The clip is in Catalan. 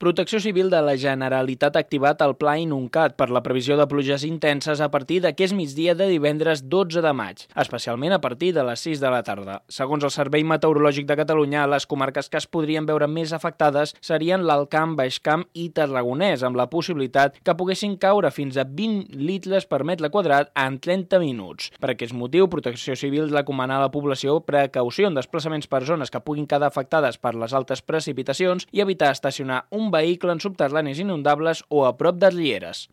Protecció Civil de la Generalitat ha activat el Pla Inuncat per la previsió de pluges intenses a partir d'aquest migdia de divendres 12 de maig, especialment a partir de les 6 de la tarda. Segons el Servei Meteorològic de Catalunya, les comarques que es podrien veure més afectades serien l'Alt Camp, Baix Camp i Tarragonès, amb la possibilitat que poguessin caure fins a 20 litres per metre quadrat en 30 minuts. Per aquest motiu, Protecció Civil recomana a la població precaució en desplaçaments per zones que puguin quedar afectades per les altes precipitacions i evitar estacionar un vehicle en subterranis inundables o a prop de rieres.